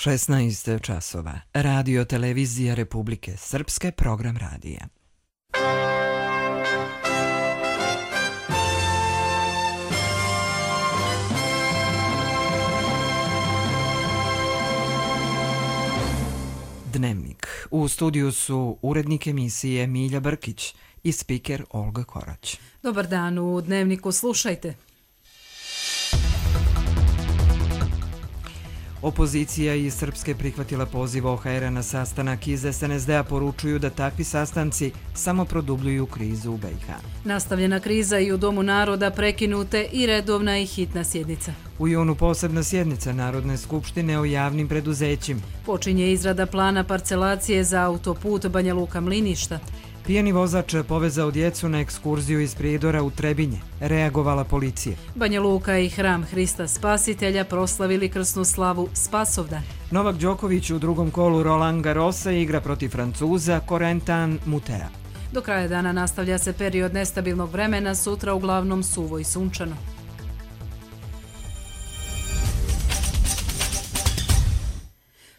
16 časova. Radio Televizija Republike Srpske, program radija. Dnevnik. U studiju su urednik emisije Milja Brkić i spiker Olga Korać. Dobar dan, u Dnevniku slušajte. Opozicija iz Srpske prihvatila poziv OHR-a na sastanak. Iz SNSD-a poručuju da takvi sastanci samo produbljuju krizu u BiH. Nastavljena kriza i u Domu naroda, prekinute i redovna i hitna sjednica. U junu posebna sjednica Narodne skupštine o javnim preduzećima. Počinje izrada plana parcelacije za autoput Banja Luka-Mliništa. Pijani vozač povezao djecu na ekskurziju iz Prijedora u Trebinje. Reagovala policija. Banja Luka i Hram Hrista Spasitelja proslavili krsnu slavu Spasovdan. Novak Đoković u drugom kolu Roland Garrosa igra protiv Francuza Corentin Moutet. Do kraja dana nastavlja se period nestabilnog vremena, sutra uglavnom suvo i sunčano.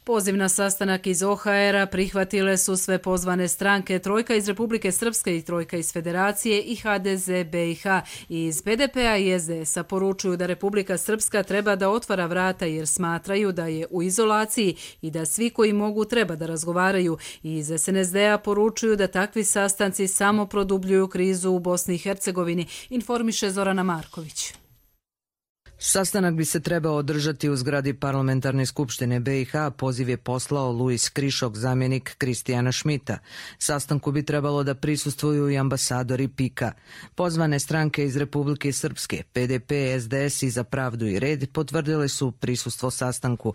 Poziv na sastanak iz OHR-a prihvatile su sve pozvane stranke, trojka iz Republike Srpske i trojka iz Federacije i HDZ BiH. Iz BDP-a i SDS-a poručuju da Republika Srpska treba da otvara vrata jer smatraju da je u izolaciji i da svi koji mogu treba da razgovaraju. Iz SNSD-a poručuju da takvi sastanci samo produbljuju krizu u Bosni i Hercegovini, informiše Zorana Marković. Sastanak bi se trebao održati u zgradi Parlamentarne skupštine BiH, poziv je poslao Luis Krišok, zamjenik Kristijana Šmita. Sastanku bi trebalo da prisustvuju i ambasadori PIK-a. Pozvane stranke iz Republike Srpske, PDP, SDS i Za pravdu i red potvrdile su prisustvo sastanku.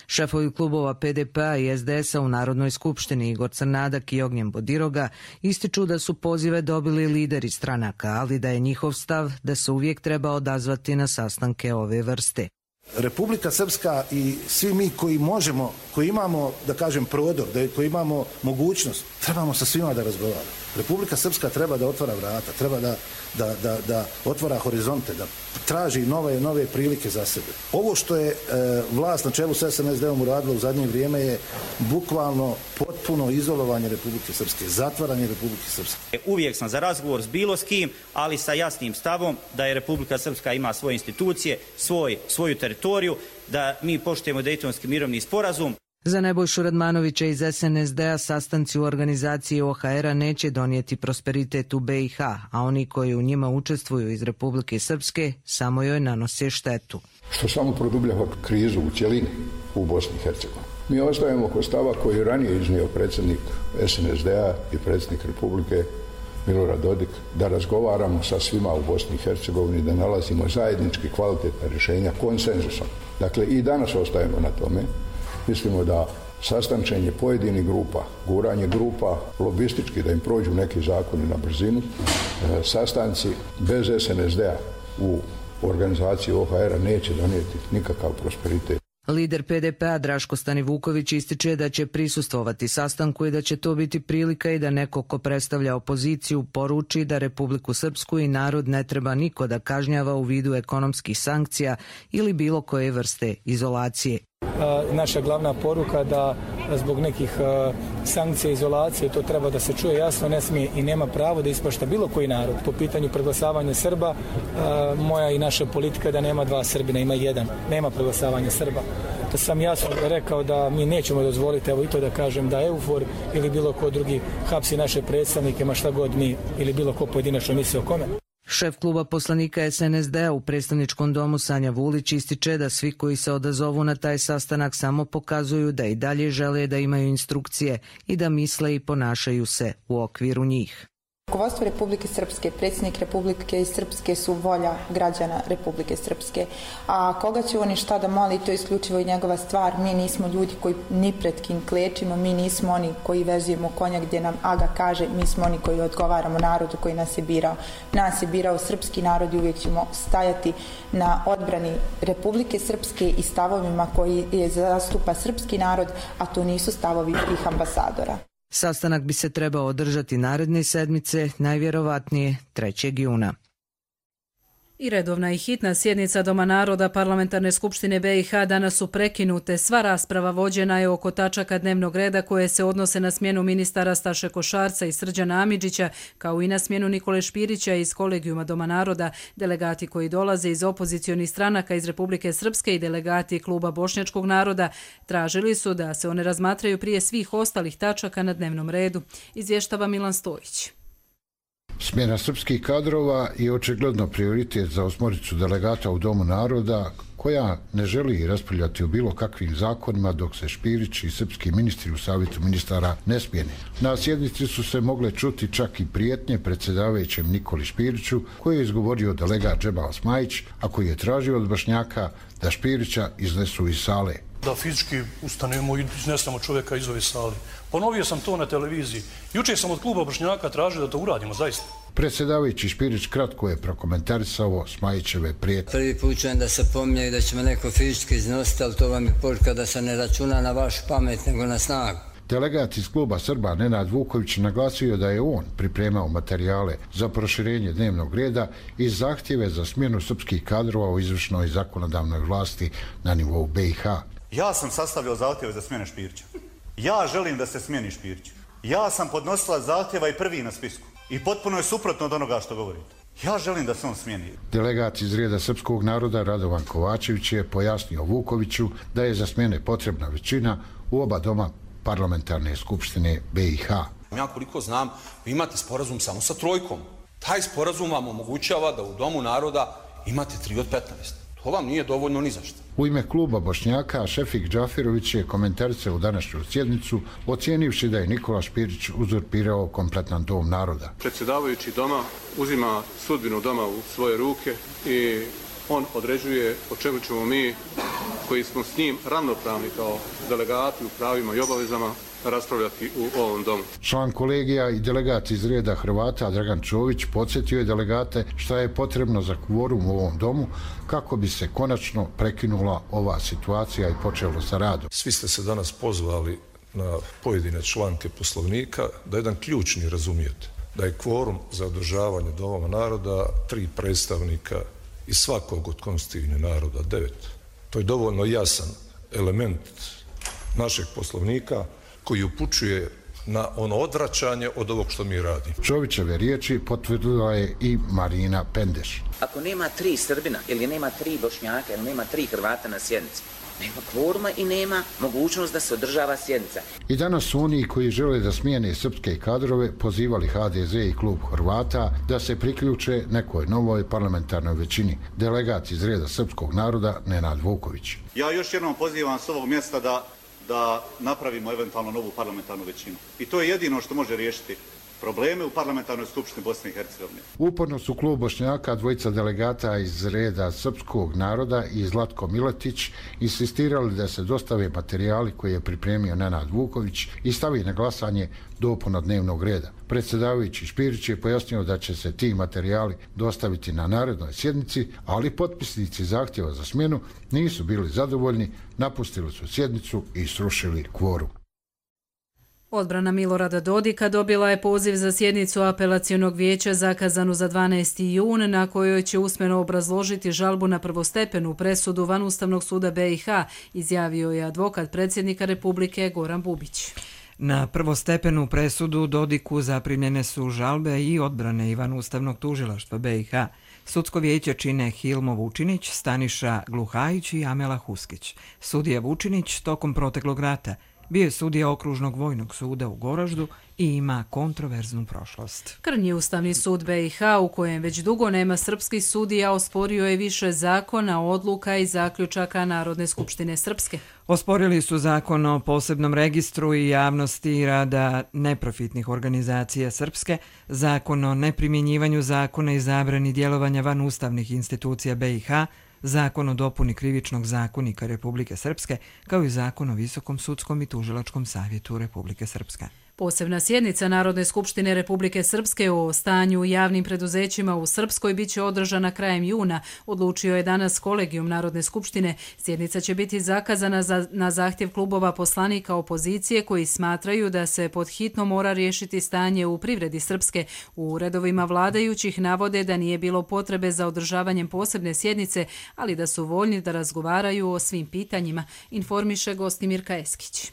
Šefovi klubova PDP-a i SDS-a u Narodnoj skupštini Igor Crnadak i Ognjen Bodiroga ističu da su pozive dobili lideri stranaka, ali da je njihov stav da se uvijek treba odazvati na sastanke ove vrste. Republika Srpska i svi mi koji možemo, koji imamo, da kažem, prodor, koji imamo mogućnost, trebamo sa svima da razgovaramo. Republika Srpska treba da otvara vrata, treba da otvara horizonte, da traži nove prilike za sebe. Ovo što je vlast na čelu sa SNSD-om uradila u zadnje vrijeme je bukvalno potpuno izolovanje Republike Srpske, zatvaranje Republike Srpske. Uvijek sam za razgovor s bilo s kim, ali sa jasnim stavom da je Republika Srpska ima svoje institucije, svoju teritoriju, da mi poštujemo Dejtonski mirovni sporazum. Za Nebojšu Radmanovića iz SNSD-a sastanci u organizaciji OHR-a neće donijeti prosperitet u BiH, a oni koji u njima učestvuju iz Republike Srpske samo joj nanose štetu. Što samo produbljava krizu u cjelini u Bosni i Hercegovini. Mi ostajemo kod stava koji je ranije iznio predsjednik SNSD-a i predsjednik Republike Milorad Dodik, da razgovaramo sa svima u Bosni i Hercegovini, da nalazimo zajednički kvalitetna rješenja konsenzusom. Dakle, i danas ostajemo na tome. Mislimo da sastančenje pojedinih grupa, guranje grupa lobistički da im prođu neki zakoni na brzinu, sastanci bez SNSD-a u organizaciji OHR-a neće donijeti nikakav prosperitet. Lider PDP-a Draško Stanivuković ističe da će prisustvovati sastanku i da će to biti prilika i da neko ko predstavlja opoziciju poruči da Republiku Srpsku i narod ne treba niko da kažnjava u vidu ekonomskih sankcija ili bilo koje vrste izolacije. Naša glavna poruka da zbog nekih sankcija, izolacije, to treba da se čuje jasno, ne smije i nema pravo da ispašta bilo koji narod. Po pitanju preglasavanja Srba, moja i naša politika da nema dva Srbina, ima jedan. Nema preglasavanja Srba. To sam jasno rekao da mi nećemo dozvoliti, evo i to da kažem, da EUFOR ili bilo ko drugi hapsi naše predstavnike, ma šta god mi ili bilo ko pojedinačno misli o kome. Šef kluba poslanika SNSD-a u predstavničkom domu Sanja Vulić ističe da svi koji se odazovu na taj sastanak samo pokazuju da i dalje žele da imaju instrukcije i da misle i ponašaju se u okviru njih. Rukovodstvo Republike Srpske, predsjednik Republike Srpske su volja građana Republike Srpske. A koga će oni šta da moli, to je isključivo i njegova stvar. Mi nismo ljudi koji ni pred kim klečimo, mi nismo oni koji vezujemo konja gdje nam Aga kaže, mi smo oni koji odgovaramo narodu koji nas je birao. Nas je birao srpski narod i uvijek ćemo stajati na odbrani Republike Srpske i stavovima koji je zastupa srpski narod, a to nisu stavovi tih ambasadora. Sastanak bi se trebao održati naredne sedmice, najvjerovatnije 3. juna. I redovna i hitna sjednica Doma naroda Parlamentarne skupštine BiH danas su prekinute. Sva rasprava vođena je oko tačaka dnevnog reda koje se odnose na smjenu ministara Staše Košarca i Srđana Amidžića, kao i na smjenu Nikole Špirića iz kolegijuma Doma naroda. Delegati koji dolaze iz opozicionih stranaka iz Republike Srpske i delegati kluba Bošnjačkog naroda tražili su da se one razmatraju prije svih ostalih tačaka na dnevnom redu. Izvještava Milan Stojić. Smjena srpskih kadrova je očigledno prioritet za osmoricu delegata u Domu naroda, koja ne želi raspravljati o bilo kakvim zakonima dok se Špirić i srpski ministri u savjetu ministara ne smjene. Na sjednici su se mogle čuti čak i prijetnje predsjedavajućem Nikoli Špiriću, koji je izgovorio delegat Džemal Smajić, a koji je tražio od Bošnjaka da Špirića iznesu iz sale. Da fizički ustanemo i iznesemo čovjeka iz ove sale. Ponovio sam to na televiziji. Jučer sam od kluba Bošnjaka tražio da to uradimo, zaista. Predsjedavajući Špirić kratko je prokomentarisao Smajićeve prijetnje. Prvi put čujem da se pominje i da će me neko fizički iznositi, ali to vam je poruka da se ne računa na vašu pamet, nego na snagu. Delegat iz kluba Srba Nenad Vuković naglasio da je on pripremao materijale za proširenje dnevnog reda i zahtjeve za smjenu srpskih kadrova u izvršnoj i zakonodavnoj vlasti na nivou BiH. Ja sam sastavio zahtjeve za smjene Špirića. Ja želim da se smjeni Špirić. Ja sam podnosila zahtjeva i prvi na spisku. I potpuno je suprotno od onoga što govorite. Ja želim da se on smijeni. Delegat iz reda srpskog naroda Radovan Kovačević je pojasnio Vukoviću da je za smjene potrebna većina u oba doma Parlamentarne skupštine BiH. Ja koliko znam, vi imate sporazum samo sa trojkom. Taj sporazum vam omogućava da u Domu naroda imate 3 od 15. To vam nije dovoljno ni za što. U ime kluba Bošnjaka Šefik Džafirović je komentarisao u današnju sjednicu, ocijenivši da je Nikola Špirić uzurpirao kompletan Dom naroda. Predsjedavajući doma uzima sudbinu doma u svoje ruke i on određuje o čemu ćemo mi, koji smo s njim ravnopravni kao delegati u pravima i obavezama, raspravljati u ovom domu. Član kolegija i delegat iz reda Hrvata Dragan Čović podsjetio je delegate šta je potrebno za kvorum u ovom domu kako bi se konačno prekinula ova situacija i počelo sa radom. Svi ste se danas pozvali na pojedine članke Poslovnika da jedan ključni razumijete, da je kvorum za održavanje Doma naroda 3 predstavnika iz svakog od konstitutivnih naroda 9. To je dovoljno jasan element našeg Poslovnika koji upućuje na ono odvraćanje od ovog što mi radimo. Čovićeve riječi potvrdila je i Marina Pendeš. Ako nema 3 Srbina ili nema 3 Bošnjaka ili nema 3 Hrvata na sjednici, nema kvoruma i nema mogućnost da se održava sjednica. I danas su oni koji žele da smijene srpske kadrove pozivali HDZ i klub Hrvata da se priključe nekoj novoj parlamentarnoj većini. Delegat iz reda srpskog naroda Nenad Vuković. Ja još jednom pozivam s ovog mjesta da napravimo eventualno novu parlamentarnu većinu. I to je jedino što može riješiti probleme u parlamentarnoj skupštini Bosne i Hercegovine. Uporno su klub Bošnjaka, dvojica delegata iz reda srpskog naroda i Zlatko Miletić insistirali da se dostave materijali koje je pripremio Nenad Vuković i stavi na glasanje dopuna dnevnog reda. Predsjedavajući Špirić je pojasnio da će se ti materijali dostaviti na narednoj sjednici, ali potpisnici zahtjeva za smjenu nisu bili zadovoljni, napustili su sjednicu i srušili kvorum. Odbrana Milorada Dodika dobila je poziv za sjednicu apelacionog vijeća zakazanu za 12. jun, na kojoj će usmeno obrazložiti žalbu na prvostepenu presudu Vanustavnog suda BiH, izjavio je advokat predsjednika Republike Goran Bubić. Na prvostepenu presudu Dodiku zaprimljene su žalbe i odbrane Ivan Ustavnog tužilaštva BiH. Sudsko vijeće čine Hilmo Vučinić, Staniša Gluhajić i Amela Huskić. Sudija Vučinić tokom proteklog rata bio je sudija Okružnog vojnog suda u Goraždu i ima kontroverznu prošlost. Krnji Ustavni sud BiH, u kojem već dugo nema srpskih sudija, osporio je više zakona, odluka i zaključaka Narodne skupštine Srpske. Osporili su zakon o posebnom registru i javnosti rada neprofitnih organizacija Srpske, zakon o neprimjenjivanju zakona i zabrani djelovanja van ustavnih institucija BiH, zakon o dopuni krivičnog zakonika Republike Srpske, kao i zakon o Visokom sudskom i tužilačkom savjetu Republike Srpske. Posebna sjednica Narodne skupštine Republike Srpske o stanju u javnim preduzećima u Srpskoj bit će održana krajem juna, odlučio je danas kolegijum Narodne skupštine. Sjednica će biti zakazana na zahtjev klubova poslanika opozicije koji smatraju da se pod hitno mora riješiti stanje u privredi Srpske. U redovima vladajućih navode da nije bilo potrebe za održavanjem posebne sjednice, ali da su voljni da razgovaraju o svim pitanjima, informiše Gostimirka Eskić.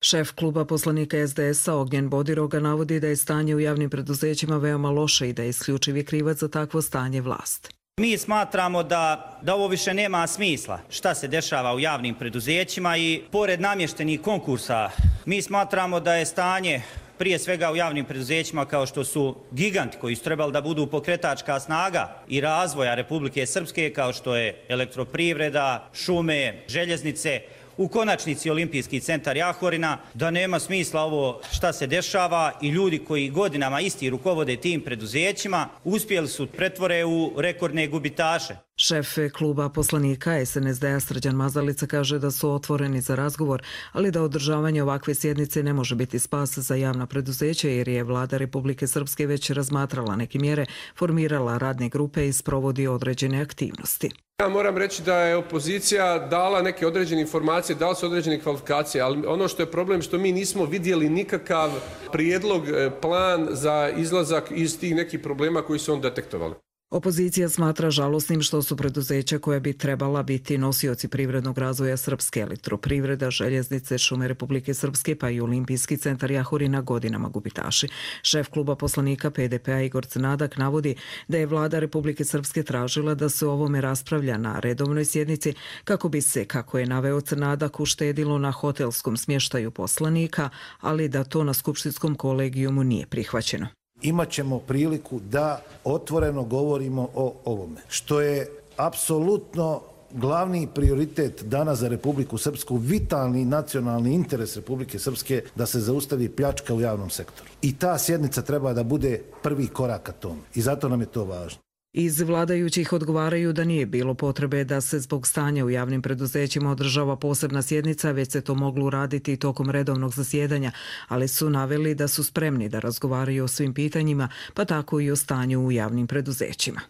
Šef kluba poslanika SDS-a Ognjen Bodiroga navodi da je stanje u javnim preduzećima veoma loše i da je isključivi krivac za takvo stanje vlast. Mi smatramo da ovo više nema smisla šta se dešava u javnim preduzećima i pored namještenih konkursa mi smatramo da je stanje prije svega u javnim preduzećima kao što su giganti koji su trebali da budu pokretačka snaga i razvoja Republike Srpske kao što je elektroprivreda, šume, željeznice, u konačnici Olimpijski centar Jahorina, da nema smisla ovo šta se dešava i ljudi koji godinama isti rukovode tim preduzećima uspjeli su pretvore u rekordne gubitaše. Šef kluba poslanika SNSD-a Srđan Mazalica kaže da su otvoreni za razgovor, ali da održavanje ovakve sjednice ne može biti spas za javna preduzeća jer je vlada Republike Srpske već razmatrala neke mjere, formirala radne grupe i sprovodi određene aktivnosti. Ja moram reći da je opozicija dala neke određene informacije, dala su određene kvalifikacije, ali ono što je problem što mi nismo vidjeli nikakav prijedlog, plan za izlazak iz tih nekih problema koji su on detektovali. Opozicija smatra žalosnim što su preduzeća koja bi trebala biti nosioci privrednog razvoja Srpske, elektroprivreda, željeznice, šume Republike Srpske pa i Olimpijski centar Jahorina godinama gubitaši. Šef kluba poslanika PDP-a Igor Crnadak navodi da je vlada Republike Srpske tražila da se o ovome raspravlja na redovnoj sjednici kako bi se, kako je naveo Crnadak, uštedilo na hotelskom smještaju poslanika, ali da to na skupštinskom kolegijumu nije prihvaćeno. Imat ćemo priliku da otvoreno govorimo o ovome, što je apsolutno glavni prioritet danas za Republiku Srpsku, vitalni nacionalni interes Republike Srpske da se zaustavi pljačka u javnom sektoru. I ta sjednica treba da bude prvi korak ka tome i zato nam je to važno. Iz vladajućih odgovaraju da nije bilo potrebe da se zbog stanja u javnim preduzećima održava posebna sjednica, već se to moglo uraditi tokom redovnog zasjedanja, ali su naveli da su spremni da razgovaraju o svim pitanjima, pa tako i o stanju u javnim preduzećima.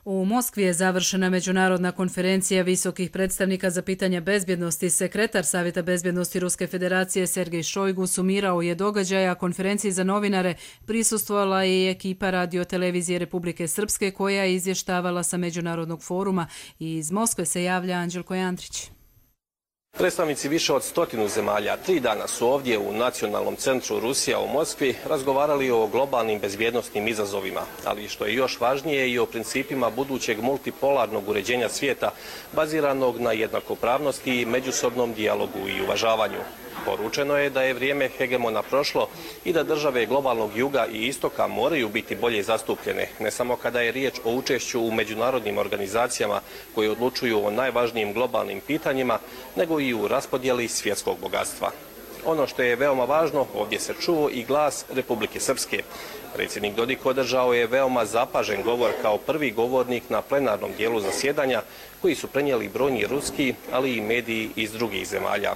U Moskvi je završena međunarodna konferencija visokih predstavnika za pitanja bezbjednosti. Sekretar Savjeta bezbjednosti Ruske federacije Sergej Šojgu sumirao je događaja konferenciji za novinare. Prisustvovala je i ekipa radiotelevizije Republike Srpske koja je izvještavala sa međunarodnog foruma. Iz Moskve se javlja Anđelko Jandrić. Predstavnici više od 100 zemalja 3 dana su ovdje u Nacionalnom centru Rusija u Moskvi razgovarali o globalnim bezbjednosnim izazovima, ali što je još važnije i o principima budućeg multipolarnog uređenja svijeta baziranog na jednakopravnosti, međusobnom dijalogu i uvažavanju. Poručeno je da je vrijeme hegemona prošlo i da države globalnog juga i istoka moraju biti bolje zastupljene, ne samo kada je riječ o učešću u međunarodnim organizacijama koje odlučuju o najvažnijim globalnim pitanjima, nego i u raspodjeli svjetskog bogatstva. Ono što je veoma važno, ovdje se čuo i glas Republike Srpske. Predsjednik Dodik održao je veoma zapažen govor kao prvi govornik na plenarnom dijelu zasjedanja koji su prenijeli brojni ruski, ali i mediji iz drugih zemalja.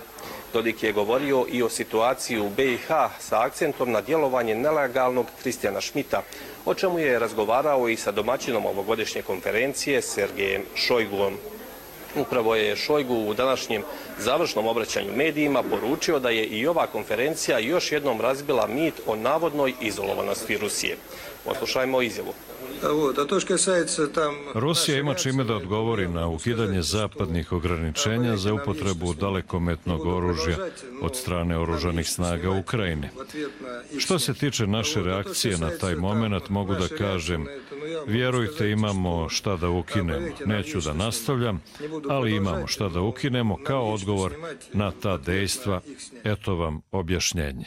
Dodik je govorio i o situaciji u BiH sa akcentom na djelovanje nelegalnog Kristijana Šmita, o čemu je razgovarao i sa domaćinom ovogodišnje konferencije Sergejem Šojguom. Upravo je Šojgu u današnjem završnom obraćanju medijima poručio da je i ova konferencija još jednom razbila mit o navodnoj izolovanosti Rusije. Poslušajmo izjavu. Rusija ima čime da odgovori na ukidanje zapadnih ograničenja za upotrebu dalekometnog oružja od strane oružanih snaga u Ukrajini. Što se tiče naše reakcije na taj moment, mogu da kažem, vjerujte, imamo šta da ukinemo. Neću da nastavljam, ali imamo šta da ukinemo kao odgovor na ta dejstva. Eto vam objašnjenje.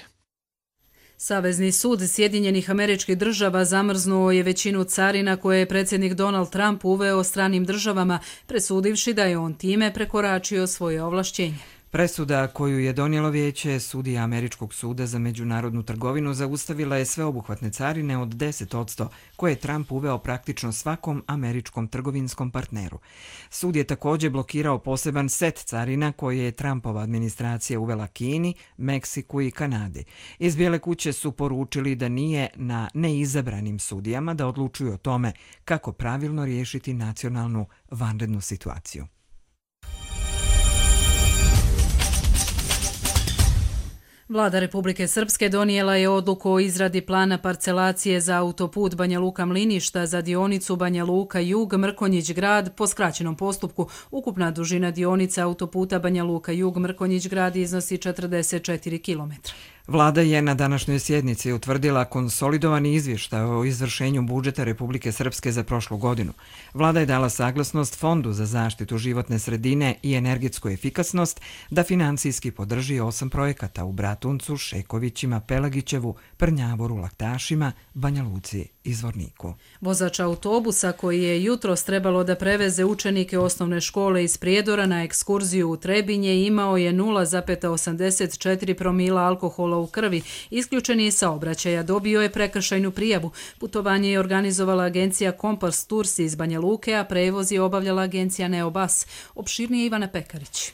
Savezni sud Sjedinjenih Američkih Država zamrznuo je većinu carina koje je predsjednik Donald Trump uveo stranim državama, presudivši da je on time prekoračio svoje ovlašćenje. Presuda koju je donijelo vijeće sudija Američkog suda za međunarodnu trgovinu zaustavila je sveobuhvatne carine od 10% koje je Trump uveo praktično svakom američkom trgovinskom partneru. Sud je također blokirao poseban set carina koje je Trumpova administracija uvela Kini, Meksiku i Kanadi. Iz Bijele kuće su poručili da nije na neizabranim sudijama da odlučuju o tome kako pravilno riješiti nacionalnu vanrednu situaciju. Vlada Republike Srpske donijela je odluku o izradi plana parcelacije za autoput Banja Luka-Mliništa za dionicu Banja Luka-Jug Mrkonjić-Grad po skraćenom postupku. Ukupna dužina dionice autoputa Banja Luka-Jug Mrkonjić-Grad iznosi 44 km. Vlada je na današnjoj sjednici utvrdila konsolidovani izvještaj o izvršenju budžeta Republike Srpske za prošlu godinu. Vlada je dala saglasnost Fondu za zaštitu životne sredine i energetsku efikasnost da financijski podrži 8 projekata u Bratuncu, Šekovićima, Pelagićevu, Prnjavoru, Laktašima, Banja Luci i Zvorniku. Vozač autobusa koji je jutros trebalo da preveze učenike osnovne škole iz Prijedora na ekskurziju u Trebinje imao je 0,84 promila alkohola u krvi. Isključen je iz saobraćaja, dobio je prekršajnu prijavu. Putovanje je organizovala agencija Kompas Tours iz Banja Luke, a prevoz je obavljala agencija Neobas. Opširnije Ivana Pekarić.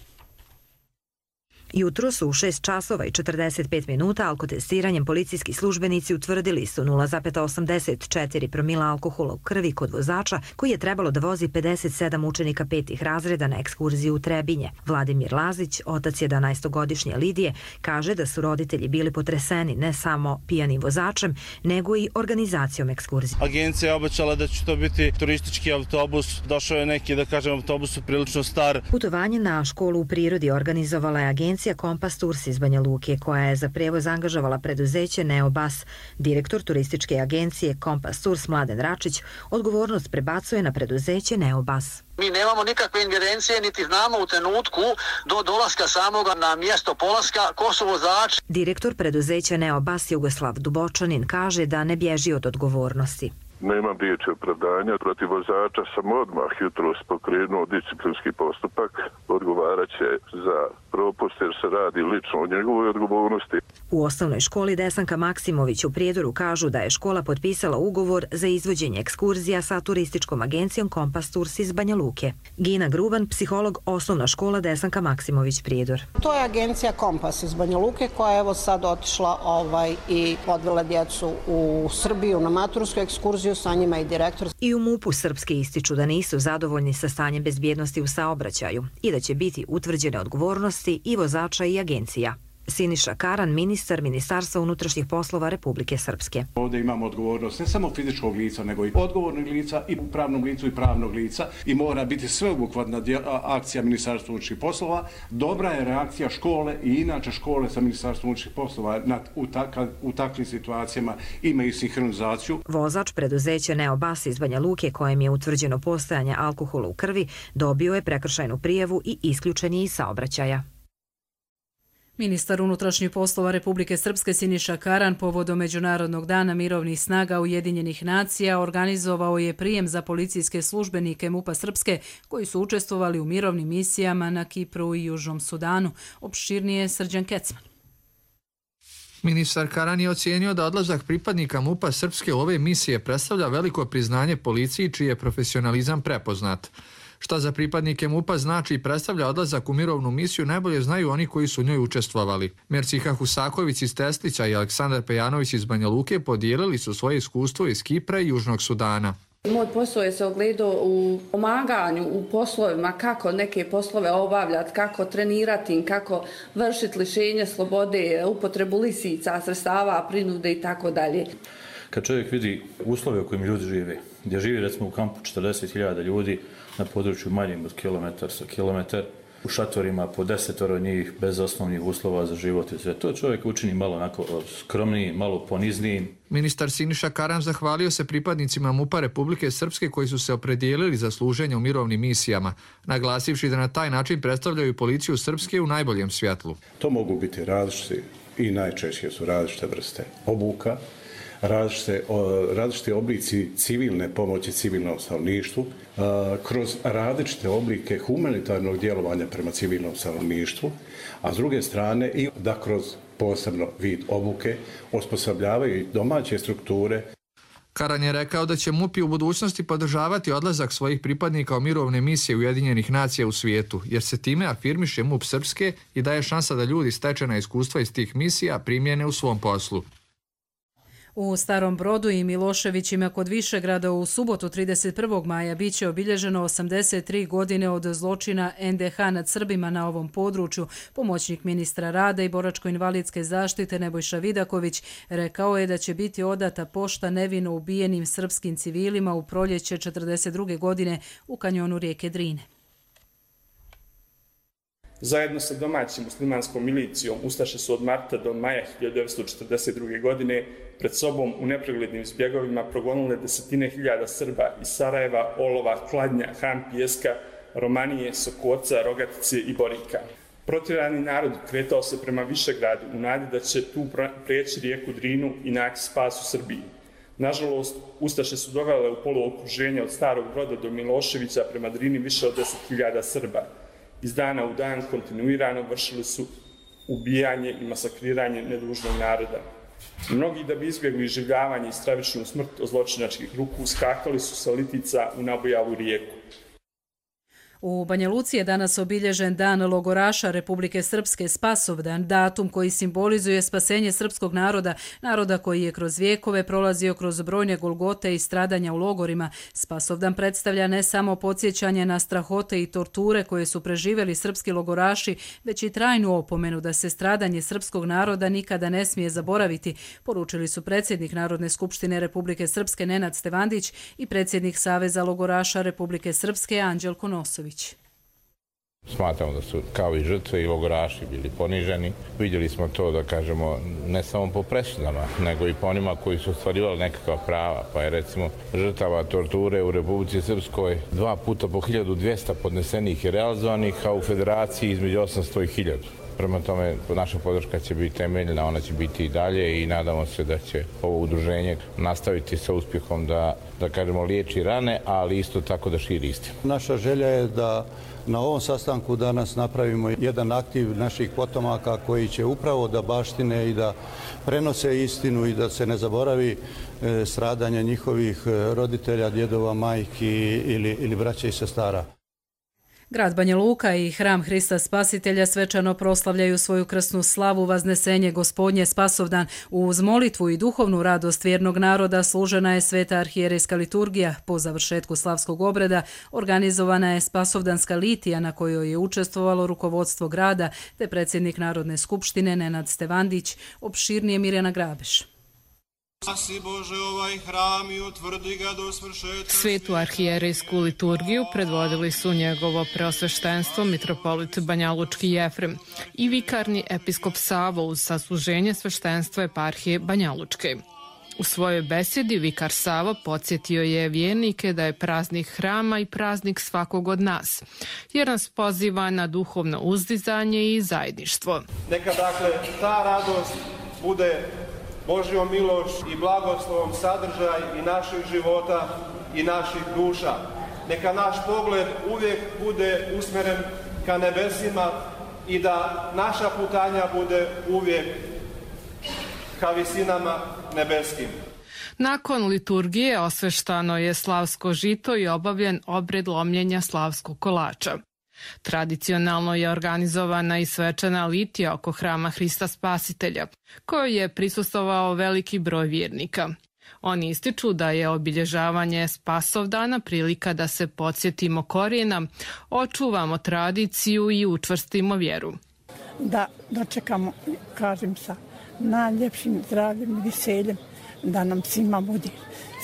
Jutro su u 6 časova i 45 minuta alkotestiranjem policijski službenici utvrdili su 0,84 promila alkohola u krvi kod vozača koji je trebalo da vozi 57 učenika 5. razreda na ekskurziju u Trebinje. Vladimir Lazić, otac 11-godišnje Lidije, kaže da su roditelji bili potreseni ne samo pijanim vozačem, nego i organizacijom ekskurzije. Agencija je obećala da će to biti turistički autobus. Došao je neki, da kažem, autobus prilično star. Putovanje na školu u prirodi organizovala je agencija Kompas Tours iz Banja Luke, koja je za prevoz angažovala preduzeće Neobas. Direktor turističke agencije Kompas Tours Mladen Račić odgovornost prebacuje na preduzeće Neobas. Mi nemamo nikakve ingerencije, niti znamo u trenutku do dolaska samoga na mjesto polaska ko su vozači. Direktor preduzeća Neobas Jugoslav Dubočanin kaže da ne bježi od odgovornosti. Nemam riječi opravdanja. Protiv vozača sam odmah jutros pokrenuo disciplinski postupak. Odgovarat će za propust jer se radi lično o njegovoj odgovornosti. U osnovnoj školi Desanka Maksimović u Prijedoru kažu da je škola potpisala ugovor za izvođenje ekskurzija sa turističkom agencijom Kompas Tours iz Banja Luke. Gina Gruban, psiholog, osnovna škola Desanka Maksimović Prijedor. To je agencija Kompas iz Banja Luke koja je evo sad otišla i odvela djecu u Srbiju na matursku ekskurziju, sa njima i direktor. I u MUP-u Srpske ističu da nisu zadovoljni sa stanjem bezbjednosti u saobraćaju i da će biti utvrđene odgovornosti i vozača i agencija. Siniša Karan, ministar Ministarstva unutrašnjih poslova Republike Srpske. Ovdje imamo odgovornost ne samo fizičkog lica, nego i odgovornog lica i u pravnom licu i pravnog lica i mora biti sveobuhvatna akcija Ministarstva unutrašnjih poslova. Dobra je reakcija škole i inače škole sa Ministarstvom unutrašnjih poslova u takvim situacijama imaju sinhronizaciju. Vozač preduzeća Neobas iz Banja Luke, kojem je utvrđeno postojanje alkohola u krvi, dobio je prekršajnu prijavu i isključen je iz saobraćaja. Ministar unutrašnjih poslova Republike Srpske Siniša Karan povodom Međunarodnog dana mirovnih snaga Ujedinjenih nacija organizovao je prijem za policijske službenike MUP-a Srpske koji su učestvovali u mirovnim misijama na Kipru i Južnom Sudanu. Opširnije Srđan Kecman. Ministar Karan je ocijenio da odlazak pripadnika MUP-a Srpske u ove misije predstavlja veliko priznanje policiji čiji je profesionalizam prepoznat. Šta za pripadnike MUP-a znači i predstavlja odlazak u mirovnu misiju najbolje znaju oni koji su u njoj učestvovali. Merciha Husaković iz Teslića i Aleksandar Pejanović iz Banja Luke podijelili su svoje iskustvo iz Kipra i Južnog Sudana. Moj posao je se ogledao u pomaganju, u poslovima, kako neke poslove obavljati, kako trenirati, kako vršiti lišenje slobode, upotrebu lisica, sredstava, prinude i tako dalje. Kad čovjek vidi uslove u kojim ljudi žive, gdje živi recimo u kampu 40.000 ljudi na području manjim od kilometar, u šatorima po 10 njih bez osnovnih uslova za život i sve. To čovjek učini malo onako skromniji, malo ponizniji. Ministar Siniša Karan zahvalio se pripadnicima MUP-a Republike Srpske koji su se opredijelili za služenje u mirovnim misijama, naglasivši da na taj način predstavljaju policiju Srpske u najboljem svjetlu. To mogu biti različite i najčešće su različite vrste obuka, različite oblici civilne pomoći civilnom stanovništvu, kroz različite oblike humanitarnog djelovanja prema civilnom stanovništvu, a s druge strane i da kroz posebno vid obuke osposobljavaju i domaće strukture. Karan je rekao da će MUP u budućnosti podržavati odlazak svojih pripadnika u mirovne misije Ujedinjenih nacija u svijetu, jer se time afirmiše MUP Srpske i daje šansa da ljudi stečena iskustva iz tih misija primjene u svom poslu. U Starom Brodu i Miloševićima kod Višegrada u subotu 31. maja bit će obilježeno 83 godine od zločina NDH nad Srbima na ovom području. Pomoćnik ministra rada i boračko-invalidske zaštite Nebojša Vidaković rekao je da će biti odata pošta nevino ubijenim srpskim civilima u proljeće 42. godine u kanjonu rijeke Drine. Zajedno sa domaćim muslimanskom milicijom ustaše su od marta do maja 1942. godine pred sobom u nepreglednim zbjegovima progonile desetine hiljada Srba iz Sarajeva, Olova, Kladnja, Han Pijeska, Romanije, Sokoca, Rogatice i Borika. Protjerani narod kretao se prema Višegradu u nadi da će tu prijeći rijeku Drinu i naći spas u Srbiji. Nažalost, ustaše su dovele u poluokruženje od Starog Broda do Miloševića prema Drini više od 10.000 Srba. Iz dana u dan kontinuirano vršili su ubijanje i masakriranje nedužnog naroda. Mnogi da bi izbjegli iživljavanje i stravičnu smrt od zločinačkih ruku skakali su sa litica u nabojalu rijeku. U Banja Luci je danas obilježen Dan logoraša Republike Srpske, Spasovdan, datum koji simbolizuje spasenje srpskog naroda, naroda koji je kroz vijekove prolazio kroz brojne golgote i stradanja u logorima. Spasovdan predstavlja ne samo podsjećanje na strahote i torture koje su preživjeli srpski logoraši, već i trajnu opomenu da se stradanje srpskog naroda nikada ne smije zaboraviti, poručili su predsjednik Narodne skupštine Republike Srpske Nenad Stevandić i predsjednik Saveza logoraša Republike Srpske Anđelko Nosović. Smatramo da su kao i žrtve i logoraši bili poniženi. Vidjeli smo to, da kažemo, ne samo po presudama, nego i po onima koji su ostvarivali nekakva prava. Pa je recimo žrtava torture u Republici Srpskoj 2 puta po 1200 podnesenih i realizovanih, a u Federaciji između 800 i 1000. Prema tome, naša podrška će biti temeljna, ona će biti i dalje i nadamo se da će ovo udruženje nastaviti sa uspjehom da kažemo, liječi rane, ali isto tako da širi istinu. Naša želja je da na ovom sastanku danas napravimo jedan aktiv naših potomaka koji će upravo da baštine i da prenose istinu i da se ne zaboravi stradanje njihovih roditelja, djedova, majki ili braća i sestara. Grad Banja Luka i Hram Hrista Spasitelja svečano proslavljaju svoju krsnu slavu Vaznesenje Gospodnje Spasovdan. Uz molitvu i duhovnu radost vjernog naroda služena je sveta arhijerejska liturgija. Po završetku slavskog obreda organizovana je Spasovdanska litija na kojoj je učestvovalo rukovodstvo grada te predsjednik Narodne skupštine Nenad Stevandić, opširnije Mirjana Grabeš. Svetu arhijerejsku liturgiju predvodili su njegovo preosveštenstvo mitropolit Banjalučki Jefrem i vikarni episkop Savo uz sasluženje sveštenstva eparhije Banjalučke. U svojoj besedi vikar Savo podsjetio je vjernike da je praznik hrama i praznik svakog od nas, jer nas poziva na duhovno uzdizanje i zajedništvo. Neka dakle ta radost bude Božjom miloš i blagoslovom sadržaj i naših života i naših duša. Neka naš pogled uvijek bude usmjeren ka nebesima i da naša putanja bude uvijek ka visinama nebeskim. Nakon liturgije osveštano je slavsko žito i obavljen obred lomljenja slavskog kolača. Tradicionalno je organizovana i svečana litija oko Hrama Hrista Spasitelja, kojoj je prisustvovao veliki broj vjernika. Oni ističu da je obilježavanje Spasovdana prilika da se podsjetimo korijena, očuvamo tradiciju i učvrstimo vjeru. Da dočekamo, kažem, sa najljepšim zdravljem i veseljem, da nam svima bude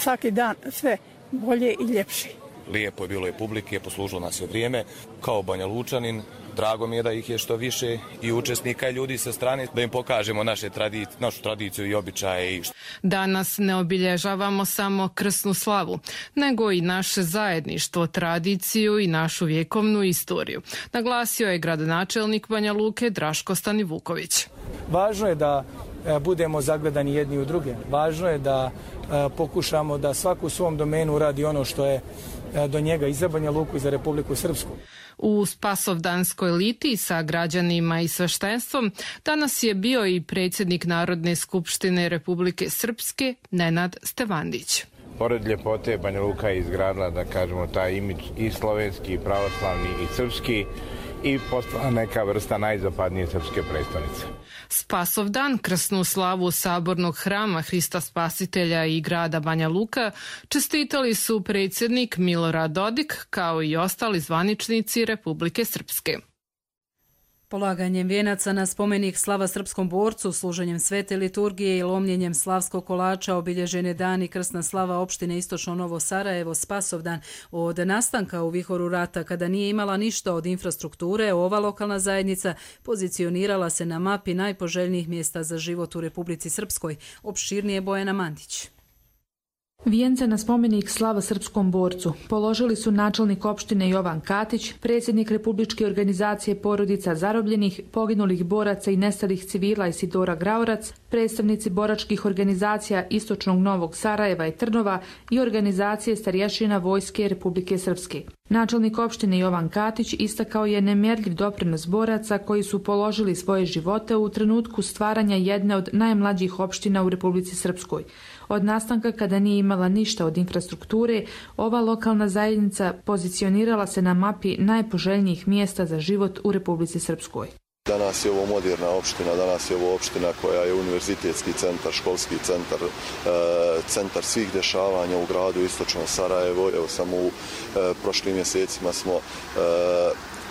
svaki dan sve bolje i ljepše. Lijepo je bilo i publike, poslužilo nas je vrijeme. Kao Banja Lučanin, drago mi je da ih je što više i učesnika i ljudi sa strane, da im pokažemo našu tradiciju i običaje. Danas ne obilježavamo samo krsnu slavu, nego i naše zajedništvo, tradiciju i našu vjekovnu istoriju, naglasio je gradonačelnik Banja Luke Draško Stanivuković. Važno je da budemo zagledani jedni u druge. Važno je da pokušamo da svaku u svom domenu uradi ono što je do njega i za Banja Luku i za Republiku Srpsku. U Spasovdanskoj litiji sa građanima i sveštenstvom danas je bio i predsjednik Narodne skupštine Republike Srpske Nenad Stevandić. Pored ljepote, Banja Luka je izgradila, da kažemo, taj imidž i slovenski, i pravoslavni, i srpski, i postala neka vrsta najzapadnije srpske prestonice. Spasovdan, krsnu slavu sabornog hrama Hrista Spasitelja i grada Banja Luka, čestitali su predsjednik Milorad Dodik kao i ostali zvaničnici Republike Srpske. Polaganjem vijenaca na spomenik slava srpskom borcu, služenjem svete liturgije i lomljenjem slavskog kolača obilježen je dan i krsna slava opštine Istočno Novo Sarajevo Spasovdan. Od nastanka u vihoru rata, kada nije imala ništa od infrastrukture, ova lokalna zajednica pozicionirala se na mapi najpoželjnijih mjesta za život u Republici Srpskoj. Opširnije Bojana Mandić. Vijence na spomenik slava srpskom borcu položili su načelnik opštine Jovan Katić, predsjednik Republičke organizacije porodica zarobljenih, poginulih boraca i nestalih civila Isidora Graorac, predstavnici boračkih organizacija Istočnog Novog Sarajeva i Trnova i organizacije starješina Vojske Republike Srpske. Načelnik opštine Jovan Katić istakao je nemjerljiv doprinos boraca koji su položili svoje živote u trenutku stvaranja jedne od najmlađih opština u Republici Srpskoj. Od nastanka, kada nije imala ništa od infrastrukture, ova lokalna zajednica pozicionirala se na mapi najpoželjnijih mjesta za život u Republici Srpskoj. Danas je ovo moderna opština, danas je ovo opština koja je univerzitetski centar, školski centar, centar svih dešavanja u gradu Istočno Sarajevo. Evo samo u prošlim mjesecima smo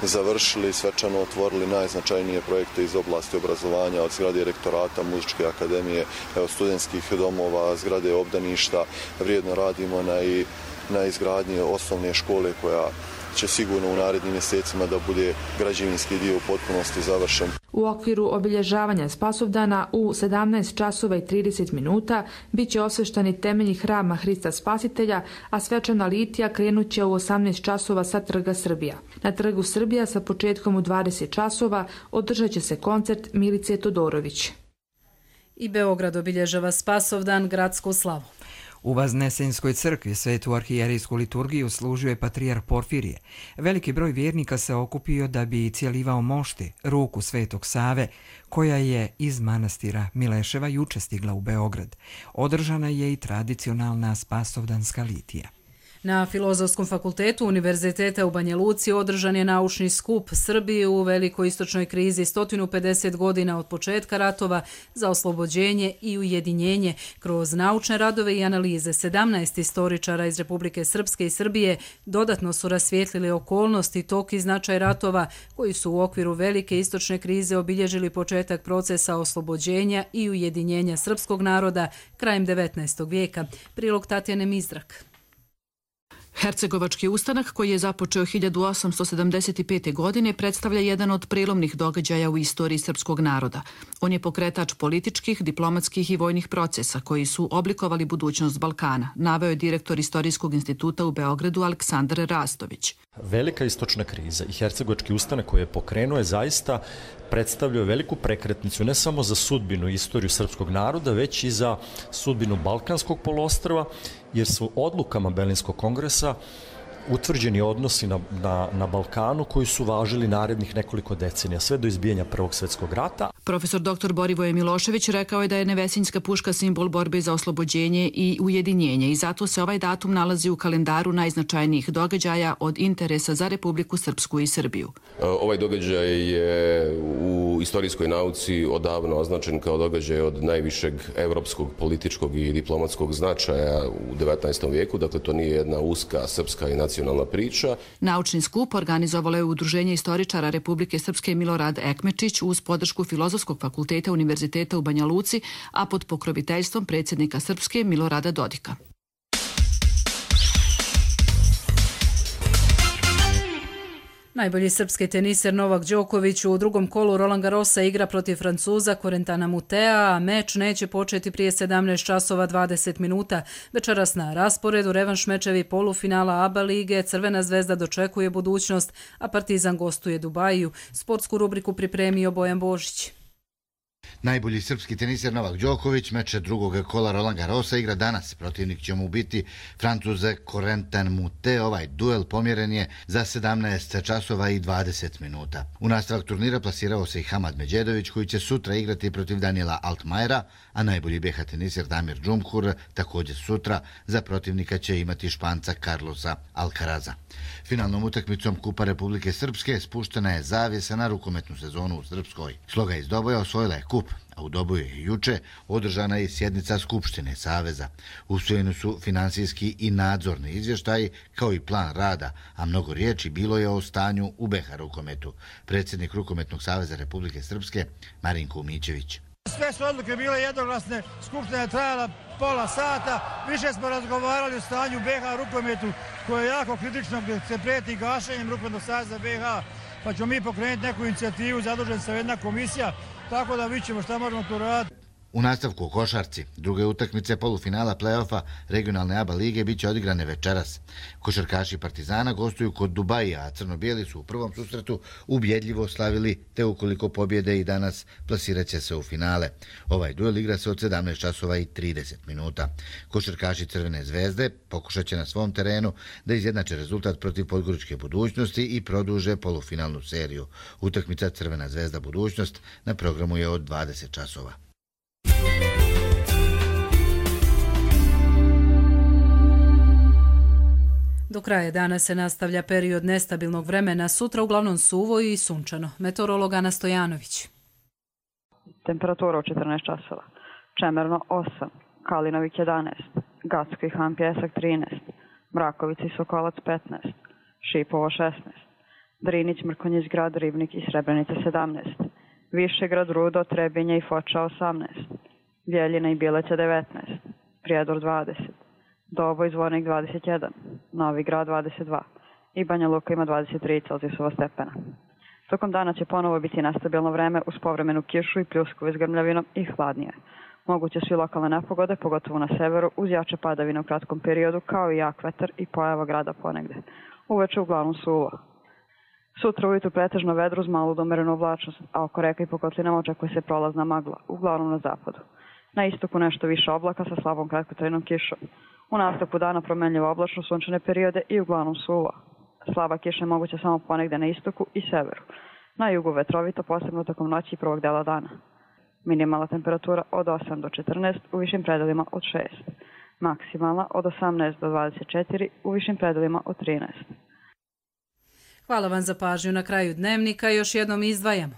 završili, svečano otvorili najznačajnije projekte iz oblasti obrazovanja, od zgrade rektorata, muzičke akademije, studentskih domova, zgrade obdaništa. Vrijedno radimo na izgradnji osnovne škole koja će sigurno u narednim mjesecima da bude građevinski dio u potpunosti završen. U okviru obilježavanja Spasovdana u 17 časova i 30 minuta bit će osveštani temelji hrama Hrista Spasitelja, a svečana litija krenut će u 18 časova sa Trga Srbija. Na Trgu Srbija sa početkom u 20 časova održat će se koncert Milice Todorović. I Beograd obilježava Spasovdan, gradsku slavu. U Vaznesenjskoj crkvi svetu arhijerijsku liturgiju služio je patrijarh Porfirije. Veliki broj vjernika se okupio da bi cijelivao mošti, ruku Svetog Save, koja je iz manastira Mileševa juče stigla u Beograd. Održana je i tradicionalna spasovdanska litija. Na Filozofskom fakultetu Univerziteta u Banja Luci održan je naučni skup Srbije u velikoj istočnoj krizi 150 godina od početka ratova za oslobođenje i ujedinjenje. Kroz naučne radove i analize 17 istoričara iz Republike Srpske i Srbije dodatno su rasvijetlili okolnosti, tok i značaj ratova koji su u okviru velike istočne krize obilježili početak procesa oslobođenja i ujedinjenja srpskog naroda krajem 19. vijeka. Prilog Tatjane Mizrak. Hercegovački ustanak, koji je započeo 1875. godine, predstavlja jedan od prelomnih događaja u istoriji srpskog naroda. On je pokretač političkih, diplomatskih i vojnih procesa koji su oblikovali budućnost Balkana, naveo je direktor Istorijskog instituta u Beogradu Aleksandar Rastović. Velika istočna kriza i Hercegovački ustanak koji je pokrenuo je zaista predstavljao veliku prekretnicu ne samo za sudbinu i istoriju srpskog naroda, već i za sudbinu Balkanskog poluostrva, jer su odlukama Berlinskog kongresa utvrđeni odnosi na Balkanu koji su važili narednih nekoliko decenija, sve do izbijanja Prvog svjetskog rata. Profesor dr. Borivoje Milošević rekao je da je Nevesinjska puška simbol borbe za oslobođenje i ujedinjenje i zato se ovaj datum nalazi u kalendaru najznačajnijih događaja od interesa za Republiku Srpsku i Srbiju. Ovaj događaj je u istorijskoj nauci odavno označen kao događaj od najvišeg evropskog, političkog i diplomatskog značaja u 19. vijeku, dakle to nije jedna uska srpska i nacionalna priča. Naučni skup organizovalo je Udruženje istoričara Republike Srpske Milorad Ekmečić uz podršku Filozofskog fakulteta Univerziteta u Banja Luci, a pod pokroviteljstvom predsjednika Srpske Milorada Dodika. Najbolji srpski teniser Novak Đoković u drugom kolu Roland Garrosa igra protiv Francuza Corentana Mutea, a meč neće početi prije 17 časova 20 minuta. Večeras na rasporedu revanš mečevi polufinala ABA lige, Crvena zvezda dočekuje budućnost, a Partizan gostuje Dubaju. Sportsku rubriku pripremio Bojan Božić. Najbolji srpski teniser Novak Đoković meče drugog kola Roland Garrosa igra danas. Protivnik će mu biti Francuze Corentin Moutet. Ovaj duel pomjeren je za 17 časova i 20 minuta. U nastavak turnira plasirao se i Hamad Medjedović koji će sutra igrati protiv Daniela Altmajera, a najbolji BH teniser Damir Džumhur također sutra za protivnika će imati Španca Carlosa Alcaraza. Finalnom utakmicom Kupa Republike Srpske spuštena je zavjesa na rukometnu sezonu u Srpskoj. Sloga iz Doboja osvojila je kup, a u Doboju je juče održana je sjednica Skupštine Saveza. Usvojeni su finansijski i nadzorni izvještaji kao i plan rada, a mnogo riječi bilo je o stanju u BH rukometu. Predsjednik Rukometnog saveza Republike Srpske Marinko Umićević. Sve su odluke bile jednoglasne, skupština je trajala pola sata, više smo razgovarali o stanju BH rukometu koje je jako kritično gdje se prijeti gašenjem Rukometnog saveza BH, pa ćemo mi pokrenuti neku inicijativu, zadužen se jedna komisija, tako da vidimo šta možemo tu raditi. U nastavku u košarci, druge utakmice polufinala play-offa regionalne ABA lige bit će odigrane večeras. Košarkaši Partizana gostuju kod Dubaija, a crno-bijeli su u prvom susretu ubjedljivo slavili, te ukoliko pobjede i danas plasirat će se u finale. Ovaj duel igra se od 17 časova i 30 minuta. Košarkaši Crvene zvezde pokušat će na svom terenu da izjednače rezultat protiv Podgoričke Budućnosti i produže polufinalnu seriju. Utakmica Crvena zvezda Budućnost na programu je od 20 časova. Do kraja dana se nastavlja period nestabilnog vremena, sutra uglavnom suvo i sunčano. Meteorolog Ana Stojanović. Temperatura u 14 časova. Čemerno 8, Kalinovik 11, Gacko i Han Pjesak 13, Mrakovica i Sokolac 15, Šipovo 16, Drinić, Mrkonjić grad, Ribnik i Srebrenica 17, Višegrad, Rudo, Trebinje i Foča 18, Bjeljina i Bileća 19, Prijedor 20, Doboj, Zvornik 21, Novi Grad 22 i Banja Luka ima 23 Celzijusova stepena. Tokom dana će ponovo biti nestabilno vreme uz povremenu kišu i pljuskove s grmljavinom i hladnije. Moguće su i lokalne nepogode, pogotovo na severu, uz jače padavine u kratkom periodu, kao i jak vetar i pojava grada ponegde. Uveče uglavnom suvo. Sutra ujutru pretežno vedro uz malu do umerenu oblačnost, a oko reka i po kotlinama očekuje se prolazna magla, uglavnom na zapadu. Na istoku nešto više oblaka sa slabom kratkotrajnom kišom. U nastavku dana promenljivo oblačno sunčane periode i uglavnom suvo. Slaba kiša je moguća samo ponegde na istoku i severu. Na jugu vetrovito, posebno tokom noći i prvog dela dana. Minimalna temperatura od 8 do 14, u višim predelima od 6. Maksimalna od 18 do 24, u višim predelima od 13. Hvala vam za pažnju. Na kraju dnevnika još jednom izdvajamo.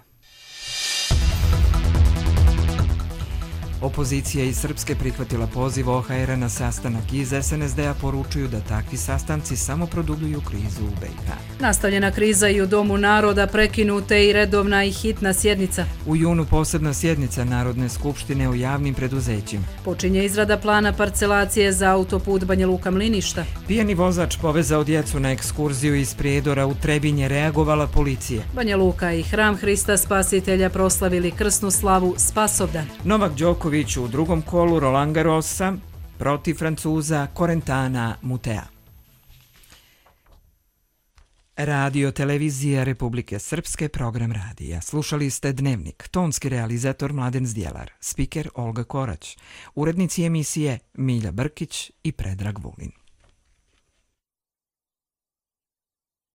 Opozicija iz Srpske prihvatila poziv OHR-a na sastanak. Iz SNSD-a poručuju da takvi sastanci samo produbljuju krizu u BiH. Nastavljena kriza i u Domu naroda, prekinute i redovna i hitna sjednica. U junu posebna sjednica Narodne skupštine o javnim preduzećima. Počinje izrada plana parcelacije za autoput Banja Luka-Mliništa. Pijani vozač povezao djecu na ekskurziju iz Prijedora u Trebinje, reagovala policija. Banja Luka i Hram Hrista Spasitelja proslavili krsnu slavu Spasovdan. Novak Đoković u drugom kolu Roland Garrosa protiv Francuza Corentana Moutea. Radio Televizija Republike Srpske, program radija. Slušali ste Dnevnik, tonski realizator Mladen Zdjelar, spiker Olga Korać, urednici emisije Milja Brkić i Predrag Vulin.